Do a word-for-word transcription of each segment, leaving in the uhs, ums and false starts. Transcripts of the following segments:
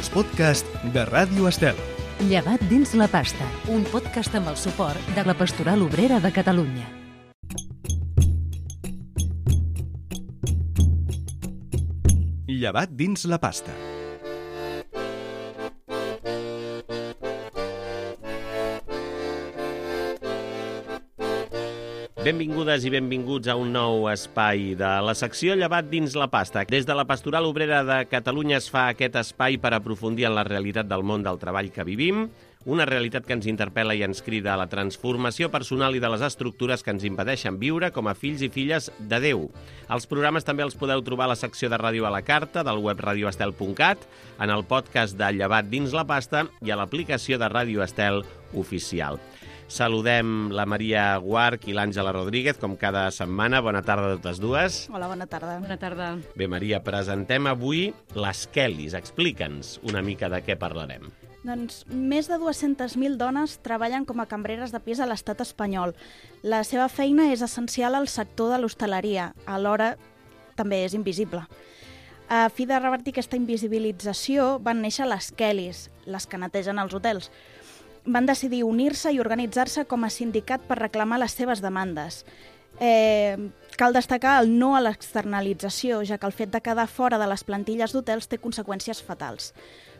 els podcasts de Ràdio Estel. Llevat dins la pasta, un podcast amb el suport de la Pastoral Obrera de Catalunya. Llevat dins la pasta. Benvingudes i benvinguts a un nou espai de la secció Llevat dins la pasta. Des de la Pastoral Obrera de Catalunya es fa aquest espai per aprofundir en la realitat del món del treball que vivim, una realitat que ens interpel·la i ens crida a la transformació personal i de les estructures que ens impedeixen viure com a fills i filles de Déu. Els programes també els podeu trobar a la secció de ràdio a la carta del web radio estel punt cat, en el podcast de Llevat dins la pasta i a l'aplicació de Ràdio Estel oficial. Saludem la Maria Guarch i l'Àngela Rodríguez, com cada setmana. Bona tarda a totes dues. Hola, bona tarda. Bona tarda. Bé, Maria, presentem avui les Kellys. Explica'ns una mica de què parlarem. Doncs més de dues-centes mil dones treballen com a cambreres de pis a l'estat espanyol. La seva feina és essencial al sector de l'hostaleria, alhora també és invisible. A fi de revertir aquesta invisibilització van néixer les Kellys, les que netegen els hotels. Van decidir unir-se i organitzar-se com a sindicat per reclamar les seves demandes. Eh, cal destacar el no a l'externalització, ja que el fet de quedar fora de les plantilles d'hotels té conseqüències fatals.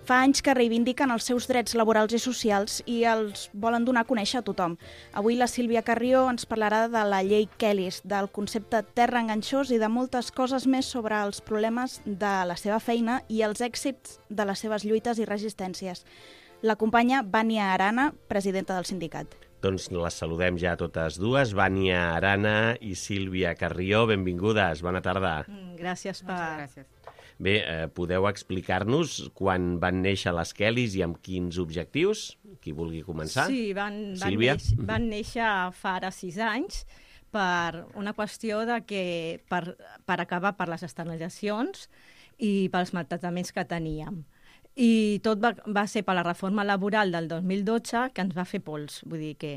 Fa anys que reivindiquen els seus drets laborals i socials i els volen donar a conèixer a tothom. Avui la Sílvia Carrió ens parlarà de la llei Kellys, del concepte terra enganxós i de moltes coses més sobre els problemes de la seva feina i els èxits de les seves lluites i resistències. L'acompanya Vània Arana, presidenta del sindicat. Doncs les saludem ja totes dues, Vània Arana i Sílvia Carrió. Benvingudes, bona tarda. Gràcies per... Gràcies. Bé, eh, podeu explicar-nos quan van néixer les Kellys i amb quins objectius? Qui vulgui començar? Sí, van, van, Sílvia? néixer, van néixer fa ara sis anys per una qüestió de que per, per acabar per les externalitzacions i pels maltractaments que teníem. I tot va, va ser per la reforma laboral del dos mil dotze que ens va fer pols. Vull dir que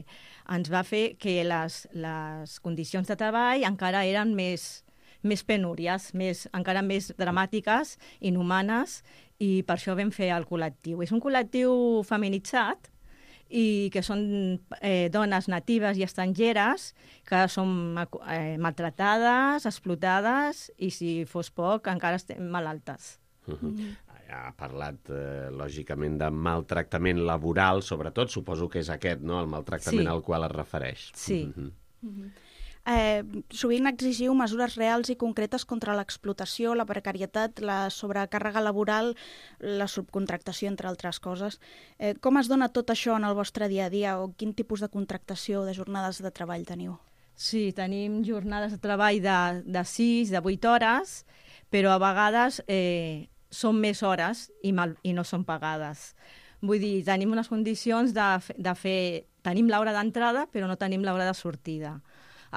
ens va fer que les, les condicions de treball encara eren més, més penúries, més, encara més dramàtiques, inhumanes, i per això vam fer el col·lectiu. És un col·lectiu feminitzat i que són eh, dones natives i estrangeres que són eh, maltratades, explotades i, si fos poc, encara estem malaltes. Uh-huh. Mm. Ha parlat, eh, lògicament, de maltractament laboral, sobretot, suposo que és aquest, no?, el maltractament sí. al qual es refereix. Sí. Uh-huh. Uh-huh. Eh, sovint exigiu mesures reals i concretes contra l'explotació, la precarietat, la sobrecàrrega laboral, la subcontractació, entre altres coses. Eh, com es dona tot això en el vostre dia a dia o quin tipus de contractació, de jornades de treball teniu? Sí, tenim jornades de treball de, de sis, de vuit hores, però a vegades eh, són més hores i, mal, i no són pagades. Vull dir, tenim unes condicions de, de fer... Tenim l'hora d'entrada, però no tenim l'hora de sortida.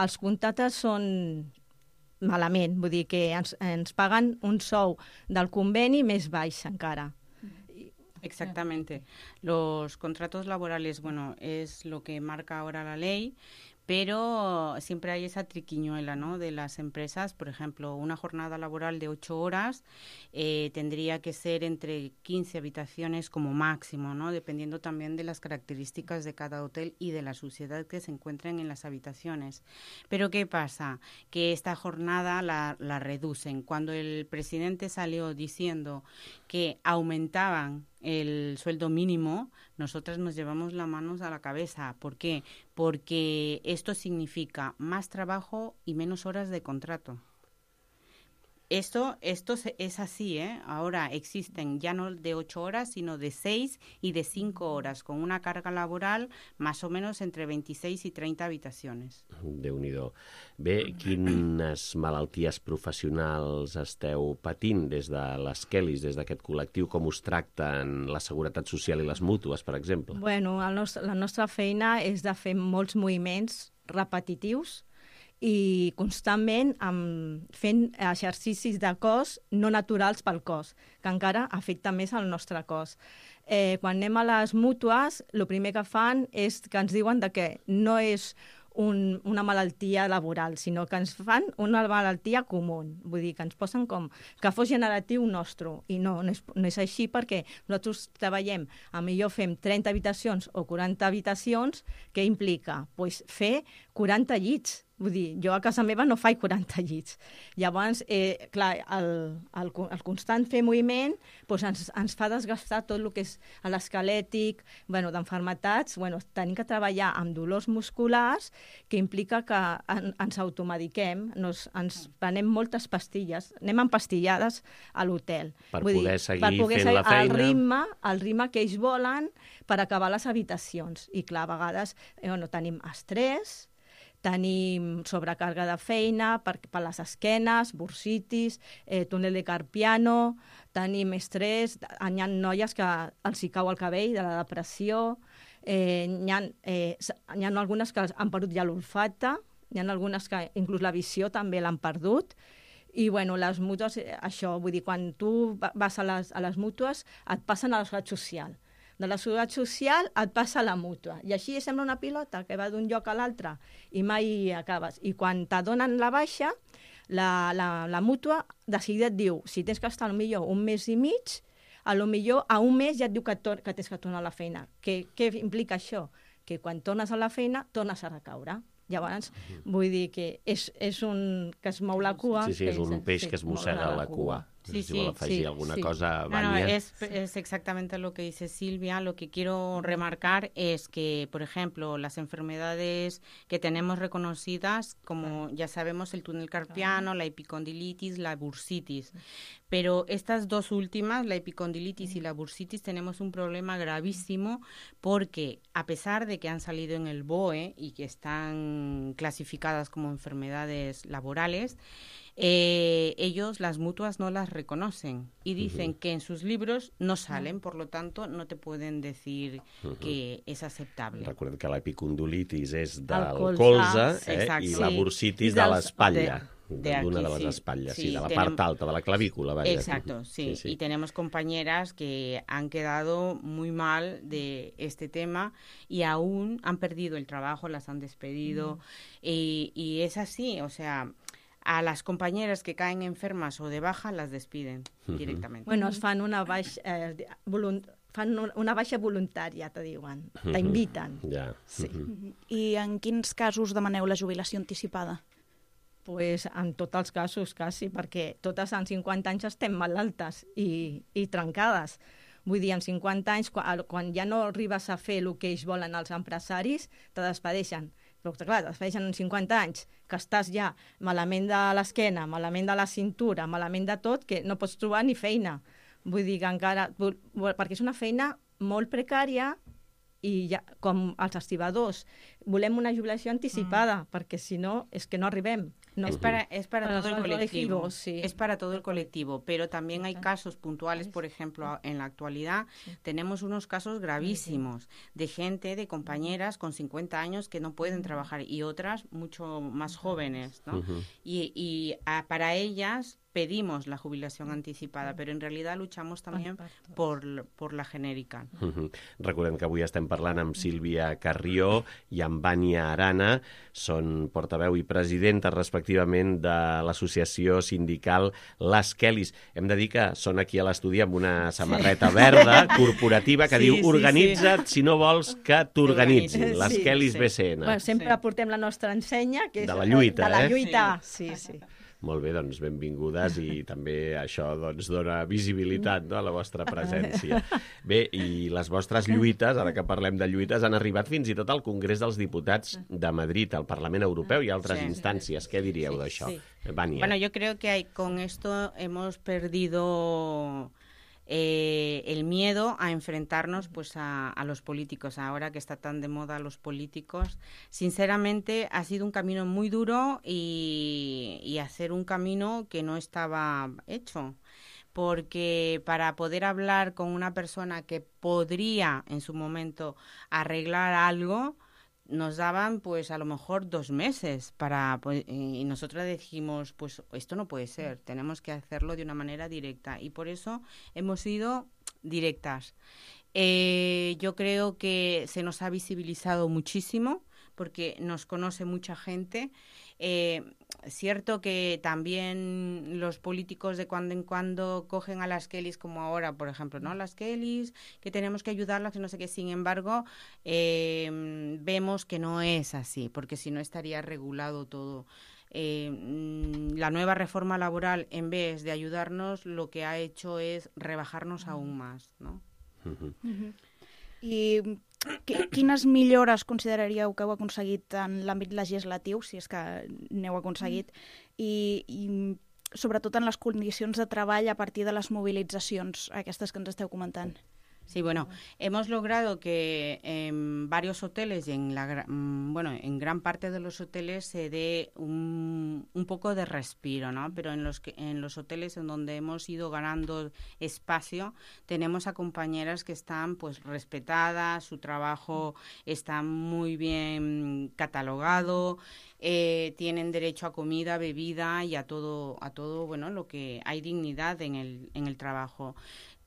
Els contractes són malament, vull dir que ens, ens paguen un sou del conveni més baix encara. Exactamente. Los contratos laborales, bueno, es lo que marca ahora la ley, pero siempre hay esa triquiñuela, ¿no?, de las empresas. Por ejemplo, una jornada laboral de ocho horas eh, tendría que ser entre quince habitaciones como máximo, ¿no?, dependiendo también de las características de cada hotel y de la suciedad que se encuentren en las habitaciones. Pero ¿qué pasa? Que esta jornada la, la reducen. Cuando el presidente salió diciendo que aumentaban el sueldo mínimo, nosotras nos llevamos las manos a la cabeza. ¿Por qué? Porque esto significa más trabajo y menos horas de contrato. Esto, esto es así, ¿eh? Ahora existen ya no de ocho horas, sino de seis y de cinco horas, con una carga laboral más o menos entre veintiséis y treinta habitaciones. Déu-n'hi-do. Bé, quines malalties professionals esteu patint des de les Kellys, des d'aquest col·lectiu? Com us tracten la Seguretat Social i les mútues, per exemple? Bueno, el nostre, la nostra feina és de fer molts moviments repetitius i constantment um, fent exercicis de cos no naturals pel cos, que encara afecta més el nostre cos. Eh, quan anem a les mútues, el primer que fan és que ens diuen de que no és un, una malaltia laboral, sinó que ens fan una malaltia comú. Vull dir, que ens posen com que fos generatiu nostre. I no, no és, no és així, perquè nosaltres treballem, a millor fem trenta habitacions o quaranta habitacions, que implica pues, fer quaranta llits. Vull dir, jo a casa meva no faig quaranta llits. Llavors, eh, clar, el, el, el constant fer moviment doncs ens, ens fa desgastar tot el que és l'esquelètic, bueno, d'enfermetats. Bueno, tenim que treballar amb dolors musculars, que implica que en, ens automediquem, nos, ens prenem moltes pastilles, anem empastillades a l'hotel. Per Vull poder dir, seguir per poder fent seguir la feina. El ritme, el ritme que ells volen per acabar les habitacions. I clar, a vegades eh, bueno, tenim estrès, tenim sobrecàrrega de feina per, per les esquenes, bursitis, eh, túnel de Carpiano, tenim estrès, hi ha noies que els hi cau el cabell de la depressió, eh, hi, ha, eh, hi ha algunes que han perdut ja l'olfacte, hi ha algunes que inclús la visió també l'han perdut, i bueno, les mútues, això, vull dir, quan tu vas a les, a les mútues et passen a la seguretat social. De la seguretat social et passa a la mútua. I així sembla una pilota que va d'un lloc a l'altre i mai acabes. I quan t'adonen la baixa, la, la, la mútua de seguida et diu, si tens que estar potser un mes i mig, a lo millor a un mes ja et diu que, tor que tens que tornar a la feina. Què, què implica això? Que quan tornes a la feina, tornes a recaure. Llavors, vull dir que és, és un que es mou la cua. Sí, sí, és un peix sí, que es mossega la cua. Sí, si sí, vol afegir sí, alguna sí. cosa, No, no, Vania. es, es exactamente lo que dice Silvia. Lo que quiero remarcar es que, por ejemplo, las enfermedades que tenemos reconocidas, como ya sabemos, el túnel carpiano, la epicondilitis, la bursitis. Pero estas dos últimas, la epicondilitis y la bursitis, tenemos un problema gravísimo porque, a pesar de que han salido en el B O E y que están clasificadas como enfermedades laborales, Eh, ellos, las mutuas, no las reconocen y dicen uh-huh. que en sus libros no salen, por lo tanto no te pueden decir uh-huh. que es aceptable. Recordem que l'epicondilitis és del colze, colze eh, i sí. la bursitis I de dels- l'espatlla. de aquí, D'una de les sí. espatlles, sí, Sí, de la tenem- part alta, de la clavícula. Vaya. Exacto, sí. Sí, sí. Y tenemos compañeras que han quedado muy mal de este tema y aún han perdido el trabajo, las han despedido. Mm. Y, y es así, o sea, a las compañeras que caen enfermas o de baja las despiden uh-huh. directamente. Bueno, es fan una baixa, eh, volunt fan una baixa voluntària, te diuen. Uh-huh. T'inviten. Ja. Sí. Uh-huh. I en quins casos demaneu la jubilació anticipada? Pues en tots els casos, quasi, perquè totes en cinquanta anys estem malaltes i, i trencades. Vull dir, en cinquanta anys, quan, quan ja no arribes a fer el que ells volen els empresaris, te despedeixen. Però, clar, et despedeixen en cinquanta anys, que estàs ja malament de l'esquena, malament de la cintura, malament de tot, que no pots trobar ni feina. Vull dir que encara... Perquè és una feina molt precària i ja, com els estibadors, volem una jubilació anticipada, mm. perquè si no, és que no arribem. No. Es para, es para, para todo el colectivo, colectivo sí. Es para todo el colectivo, pero también hay casos puntuales, por ejemplo, en la actualidad sí. tenemos unos casos gravísimos de gente, de compañeras con cincuenta años que no pueden trabajar y otras mucho más jóvenes, ¿no? Uh-huh. Y, y a, para ellas pedimos la jubilación anticipada, però en realitat luchamos també por, por la genèrica. Uh-huh. Recordem que avui estem parlant amb Sílvia Carrió i amb Vania Arana, són portaveu i presidenta respectivament de l'associació sindical Les Kellys. Hem de dir que són aquí a l'estudi amb una samarreta verda corporativa que sí, diu organitza't sí, sí. si no vols que t'organitzin. Les sí, Kellys sí. B C N. Bueno, sempre sí. portem la nostra ensenya, que és de la lluita, de la lluita. eh? Sí, sí. Molt bé, doncs benvingudes i també això doncs, dona visibilitat, no, a la vostra presència. Bé, i les vostres lluites, ara que parlem de lluites, han arribat fins i tot al Congrés dels Diputats de Madrid, al Parlament Europeu i altres sí. instàncies. Què diríeu sí, d'això? Sí. Vania. Bueno, yo creo que hay, con esto hemos perdido... Eh, el miedo a enfrentarnos pues a, a los políticos, ahora que está tan de moda los políticos. Sinceramente ha sido un camino muy duro y, y hacer un camino que no estaba hecho, porque para poder hablar con una persona que podría en su momento arreglar algo, nos daban pues a lo mejor dos meses para pues, y nosotros dijimos pues esto no puede ser, tenemos que hacerlo de una manera directa y por eso hemos sido directas. Eh, yo creo que se nos ha visibilizado muchísimo porque nos conoce mucha gente. Eh, cierto que también los políticos de cuando en cuando cogen a las Kellys, como ahora, por ejemplo, ¿no? Las Kellys, que tenemos que ayudarlas, que no sé qué. Sin embargo, eh, vemos que no es así, porque si no estaría regulado todo. Eh, la nueva reforma laboral, en vez de ayudarnos, lo que ha hecho es rebajarnos aún más, ¿no? Uh-huh. Uh-huh. I quines millores consideraríeu que heu aconseguit en l'àmbit legislatiu, si és que n'heu aconseguit, i, i sobretot en les condicions de treball a partir de les mobilitzacions, aquestes que ens esteu comentant? Sí, bueno, hemos logrado que en varios hoteles y en la bueno, en gran parte de los hoteles se dé un, un poco de respiro, ¿no? Pero en los que, en los hoteles en donde hemos ido ganando espacio, tenemos a compañeras que están pues respetadas, su trabajo está muy bien catalogado, eh, tienen derecho a comida, bebida y a todo, a todo, bueno, lo que hay dignidad en el, en el trabajo.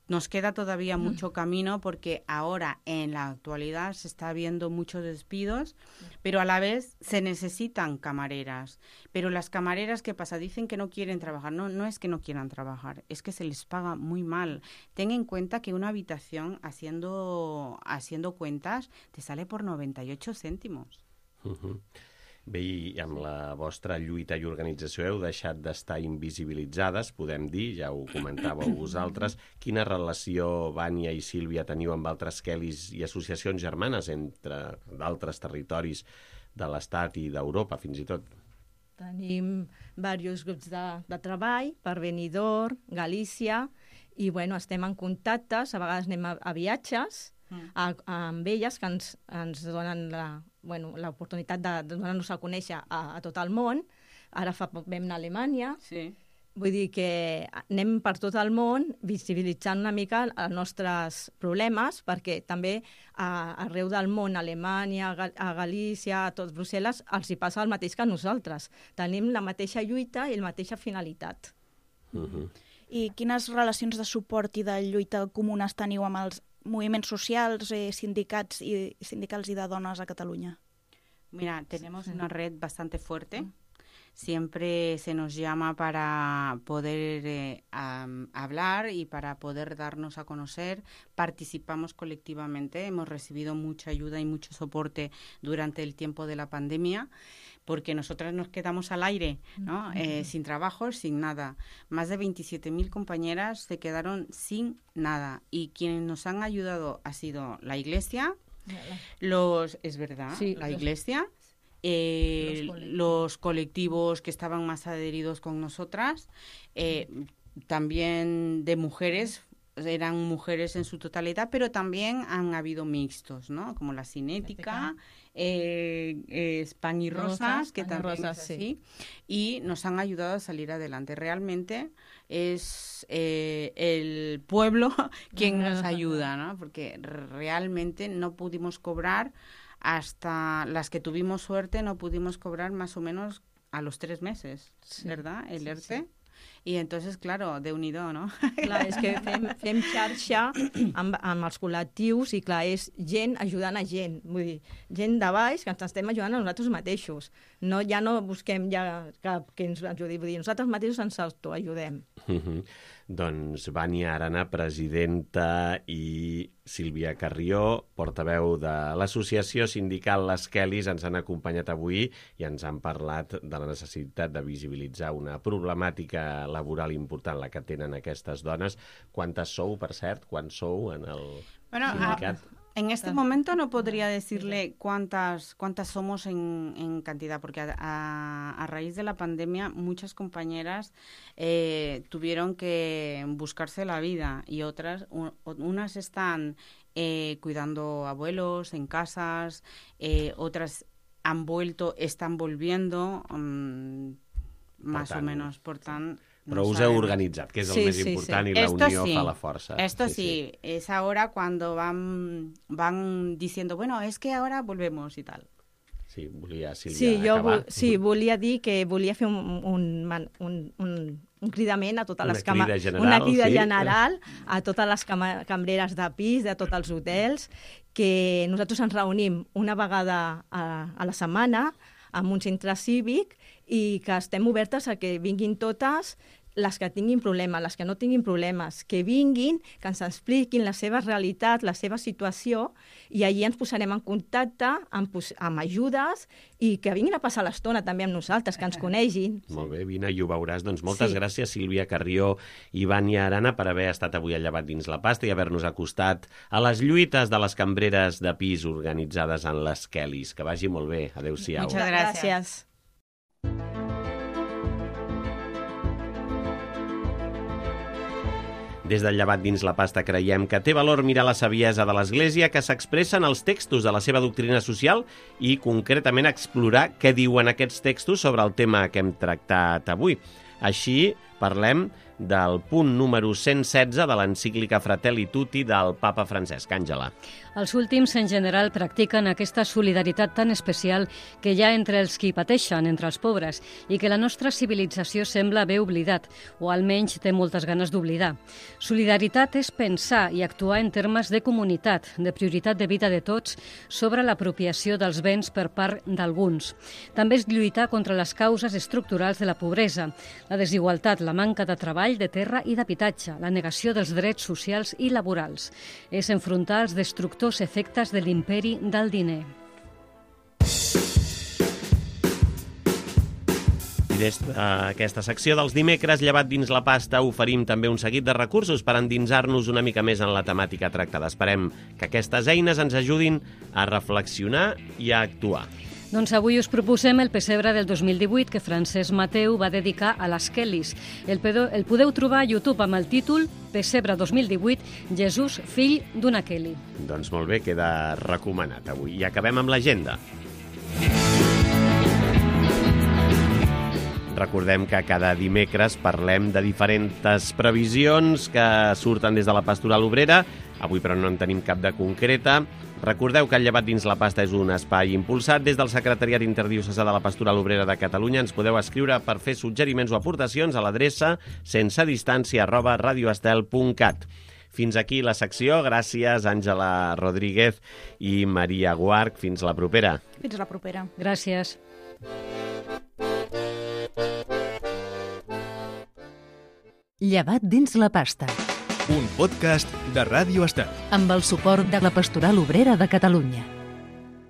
Nos queda todavía mucho camino porque ahora en la actualidad se está viendo muchos despidos, pero a la vez se necesitan camareras. Pero las camareras, ¿qué pasa? Dicen que no quieren trabajar. No, no es que no quieran trabajar, es que se les paga muy mal. Ten en cuenta que una habitación, haciendo, haciendo cuentas, te sale por noventa y ocho céntimos. Uh-huh. Bé, i amb la vostra lluita i organització heu deixat d'estar invisibilitzades, podem dir, ja ho comentàveu vosaltres. Quina relació, Vània i Sílvia, teniu amb altres Kellys i associacions germanes entre d'altres territoris de l'Estat i d'Europa, fins i tot? Tenim diversos grups de, de treball per Benidorm, Galícia, i bueno, estem en contactes, a vegades anem a, a viatges, A, a, amb elles que ens, ens donen la, bueno, l'oportunitat de, de donar-nos a conèixer a, a tot el món. Ara fa poc vam anar a Alemanya. Sí. Vull dir que anem per tot el món visibilitzant una mica els nostres problemes, perquè també a, arreu del món, a Alemanya, a Galícia, a tot Brussel·les, els hi passa el mateix que a nosaltres. Tenim la mateixa lluita i la mateixa finalitat. Uh-huh. I quines relacions de suport i de lluita comunes teniu amb els moviments socials, eh, sindicats y sindicals y de dones a Cataluña? Mira, tenemos una red bastante fuerte. Siempre se nos llama para poder eh, um, hablar y para poder darnos a conocer. Participamos colectivamente. Hemos recibido mucha ayuda y mucho soporte durante el tiempo de la pandemia, porque nosotras nos quedamos al aire, ¿no? Eh, sin trabajo, sin nada. Más de veintisiete mil compañeras se quedaron sin nada. Y quienes nos han ayudado ha sido la Iglesia, los, es verdad, sí, la los... Iglesia, eh, los, colectivos. los colectivos que estaban más adheridos con nosotras, eh, también de mujeres, eran mujeres en su totalidad, pero también han habido mixtos, ¿no? Como la Cinética, eh, eh, Pan y Rosas, Rosas que también Rosas, es así, sí. Y nos han ayudado a salir adelante. Realmente es eh, el pueblo quien nos ayuda, ¿no? Porque realmente no pudimos cobrar, hasta las que tuvimos suerte, no pudimos cobrar más o menos a los tres meses, sí, ¿verdad? El sí, E R T. Sí. I entonces, claro, Déu-n'hi-do, no? Clar, és que fem, fem xarxa amb, amb els col·lectius i, clar, és gent ajudant a gent. Vull dir, gent de baix que ens estem ajudant a nosaltres mateixos. No, ja no busquem ja cap que ens ajudi. Vull dir, nosaltres mateixos ens autoajudem. Uh-huh. Doncs Vània Arana, presidenta, i Sílvia Carrió, portaveu de l'associació sindical Les Kellys, ens han acompanyat avui i ens han parlat de la necessitat de visibilitzar una problemàtica laboral important, la que tenen aquestes dones. Quantes sou, per cert? Quants sou en el bueno, sindicat? A... En este momento no podría decirle cuántas cuántas somos en, en cantidad, porque a, a, a raíz de la pandemia muchas compañeras eh, tuvieron que buscarse la vida y otras, un, unas están eh, cuidando abuelos en casas, eh, otras han vuelto, están volviendo, um, más tant, o menos, por tan... Però no us heu organitzat, que és el sí, més sí, important, sí. i la Esto unió sí. fa la força. Esto sí, sí, sí, es ahora cuando van, van diciendo, bueno, es que ahora volvemos y tal. Sí, volia, Sílvia, Sí, jo acabar. vo sí, volia dir que volia fer un, un, un, un, un cridament a totes Una les cama... crida general, una crida sí. general a totes les cama... cambreres de pis, de tots els hotels, que nosaltres ens reunim una vegada a, a la setmana en un centre cívic i que estem obertes a que vinguin totes les que tinguin problemes, les que no tinguin problemes, que vinguin, que ens expliquin la seva realitat, la seva situació, i allí ens posarem en contacte amb, amb ajudes i que vinguin a passar l'estona també amb nosaltres, que ens conegin. Molt bé, vine i ho veuràs. Doncs moltes Sí. gràcies, Sílvia Carrió i Vània Arana, per haver estat avui al Llevat dins la pasta i haver-nos acostat a les lluites de les cambreres de pis organitzades en les Kellys. Que vagi molt bé. Adéu-siau. Muchas gracias. Des del Llevat dins la pasta creiem que té valor mirar la saviesa de l'Església que s'expressa en els textos de la seva doctrina social i concretament explorar què diuen aquests textos sobre el tema que hem tractat avui. Així parlem del punt número cent setze de l'encíclica Fratelli Tutti del papa Francesc. Àngela. Els últims, en general, practiquen aquesta solidaritat tan especial que hi ha entre els qui pateixen, entre els pobres, i que la nostra civilització sembla haver oblidat, o almenys té moltes ganes d'oblidar. Solidaritat és pensar i actuar en termes de comunitat, de prioritat de vida de tots, sobre l'apropiació dels béns per part d'alguns. També és lluitar contra les causes estructurals de la pobresa, la desigualtat, la manca de treball, de terra i d'habitatge, la negació dels drets socials i laborals. És enfrontar els destructors efectes de l'imperi del diner. I des d'aquesta secció dels dimecres, Llevat dins la pasta, oferim també un seguit de recursos per endinsar-nos una mica més en la temàtica tractada. Esperem que aquestes eines ens ajudin a reflexionar i a actuar. Doncs avui us proposem el pessebre del dos mil divuit que Francesc Mateu va dedicar a les Kellys. El, pedo, el podeu trobar a YouTube amb el títol Pessebre dos mil divuit, Jesús, fill d'una Kelly. Doncs molt bé, queda recomanat avui. I acabem amb l'agenda. Recordem que cada dimecres parlem de diferents previsions que surten des de la Pastoral Obrera. Avui, però, no en tenim cap de concreta. Recordeu que el Llevat dins la pasta és un espai impulsat des del Secretariat Interdiocesà de la Pastoral Obrera de Catalunya. Ens podeu escriure per fer suggeriments o aportacions a l'adreça sensedistància arroba radioestel punt cat. Fins aquí la secció. Gràcies, Àngela Rodríguez i Maria Guarch. Fins la propera. Fins la propera. Gràcies. Llevat dins la pasta. Un podcast de Ràdio Estel. Amb el suport de la Pastoral Obrera de Catalunya.